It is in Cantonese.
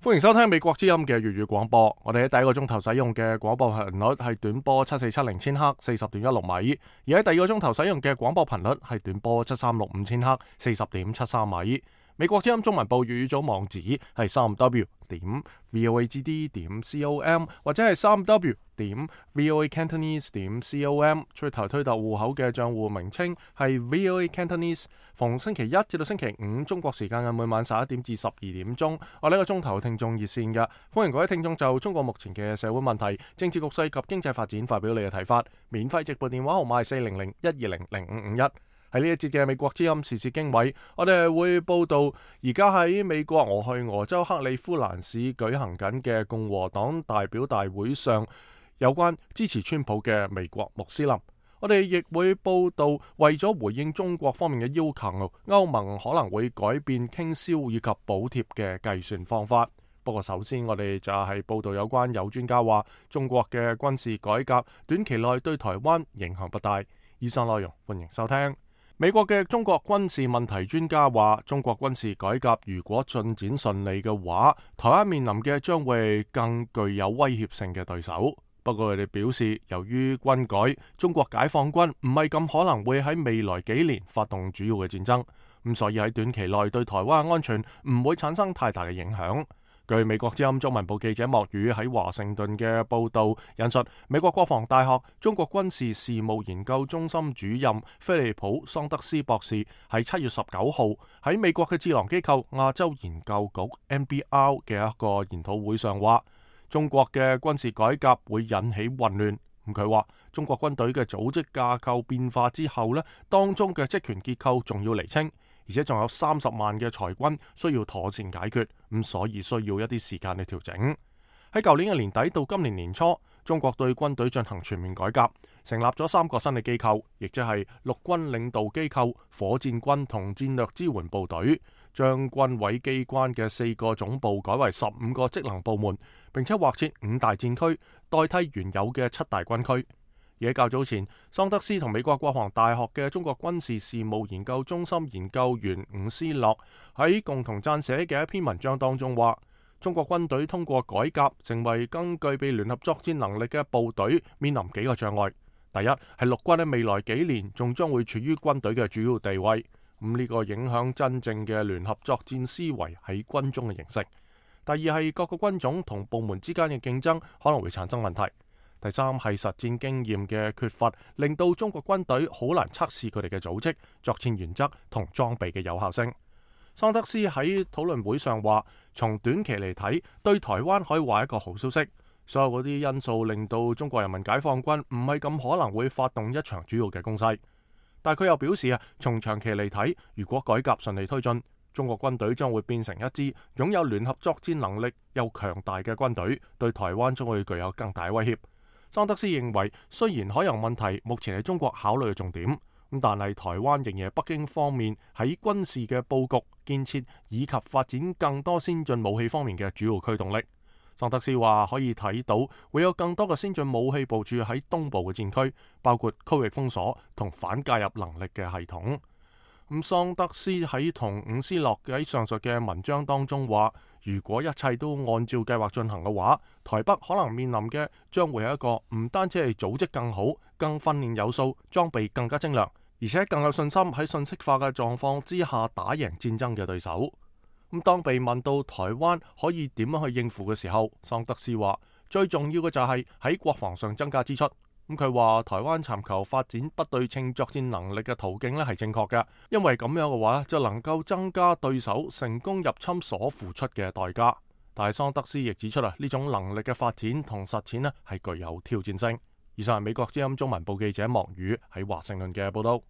歡迎收聽美國之音嘅粵語廣播。我哋喺第一個鐘頭使用嘅廣播頻率係短波7470千赫40.16米，而喺第二個鐘頭使用嘅廣播頻率係短波7365千赫40.73米。美國之音中文部粵語組網址係3w.voagd.com 或者係3w.voacantonese.com。最頭推特戶口嘅賬戶名稱係 VOA Cantonese。逢星期一至到星期五中國時間嘅每晚11點至12點鐘，我呢個鐘頭聽眾熱線嘅，歡迎各位聽眾就中國目前嘅社會問題、政治局勢及經濟發展發表你嘅睇法。免費直播電話號碼係400-120-0551。喺呢一節嘅美國之音時事經緯，我哋係會報道而家喺美國俄亥俄州克里夫蘭市舉行緊嘅共和黨代表大會上有關支持川普嘅美國穆斯林。我哋亦會報道為咗回應中國方面嘅要求，歐盟可能會改變傾銷以及補貼嘅計算方法。不過首先我哋就係報道有關有專家話中國嘅軍事改革短期內對台灣影響不大。以上內容歡迎收聽。美國嘅中國軍事問題專家話，中國軍事改革如果進展順利嘅話，台灣面臨嘅將會更具有威脅性嘅對手。不過佢哋表示，由於軍改，中國解放軍唔係咁可能會喺未來幾年發動主要嘅戰爭，咁所以喺短期內對台灣嘅安全唔會產生太大嘅影響。據美國之音中文部記者莫宇喺華盛頓嘅報道引述，美國國防大學中國軍事事務研究中心主任菲利普桑德斯博士喺7月19號喺美國嘅智囊機構亞洲研究局 NBR 嘅一個研討會上話，中國嘅軍事改革會引起混亂。佢話中國軍隊嘅組織架構變化之後呢，當中嘅職權結構仲要釐清，而且仲有30萬嘅裁軍需要妥善解決，所以需要一啲時間去調整。喺舊年嘅年底到今年年初，中國對軍隊進行全面改革，成立咗3個新嘅機構，亦即係陸軍領導機構、火箭軍同戰略支援部隊，將軍委機關嘅4個總部改為15個職能部門，並且劃設5大戰區，代替原有嘅7大軍區。而喺較早前，桑德斯同美國國防大學嘅中國軍事事務研究中心研究員伍斯洛喺共同撰寫嘅一篇文章當中話，中國軍隊通過改革成為更具備聯合作戰能力嘅部隊，面臨幾個障礙。第一係陸軍喺未來幾年仲將會處於軍隊嘅主要地位，呢個影響真正嘅聯合作戰思維喺軍中嘅形式。第二係各個軍種同部門之間嘅競爭可能會產生問題。第三係實戰經驗嘅缺乏，令到中國軍隊好難測試佢哋嘅組織、作戰原則同裝備嘅有效性。桑德斯喺討論會上話，從短期嚟睇，對台灣可以話一個好消息。所有嗰啲因素令到中國人民解放軍唔係咁可能會發動一場主要嘅攻勢。但佢又表示從長期嚟睇，如果改革順利推進，中國軍隊將會變成一支擁有聯合作戰能力又強大嘅軍隊，對台灣將會具有更大威脅。桑德斯認為，雖然海洋問題目前係中國考慮嘅重點，但係台灣仍然係北京方面喺軍事嘅佈局、建設以及發展更多先進武器方面嘅主要驅動力。桑德斯話可以睇到會有更多嘅先進武器部署喺東部嘅戰區，包括區域封鎖同反介入能力嘅系統。桑德斯喺同伍斯洛喺上述嘅文章當中話，如果一切都按照計劃進行嘅話，台北可能面臨嘅將會係一個唔單止係組織更好、更訓練有素、裝備更加精良，而且更有信心喺信息化嘅狀況之下打贏戰爭嘅對手。當被問到台灣可以點樣去應付嘅時候，桑德斯話最重要嘅就係喺國防上增加支出。佢話台灣尋求發展不對稱作戰能力嘅途徑係正確嘅，因為咁樣嘅話就能夠增加對手成功入侵所付出嘅代價。但係桑德斯亦指出呢種能力嘅發展同實踐係具有挑戰性。以上係美國之音中文部記者莫宇喺華盛頓嘅報道。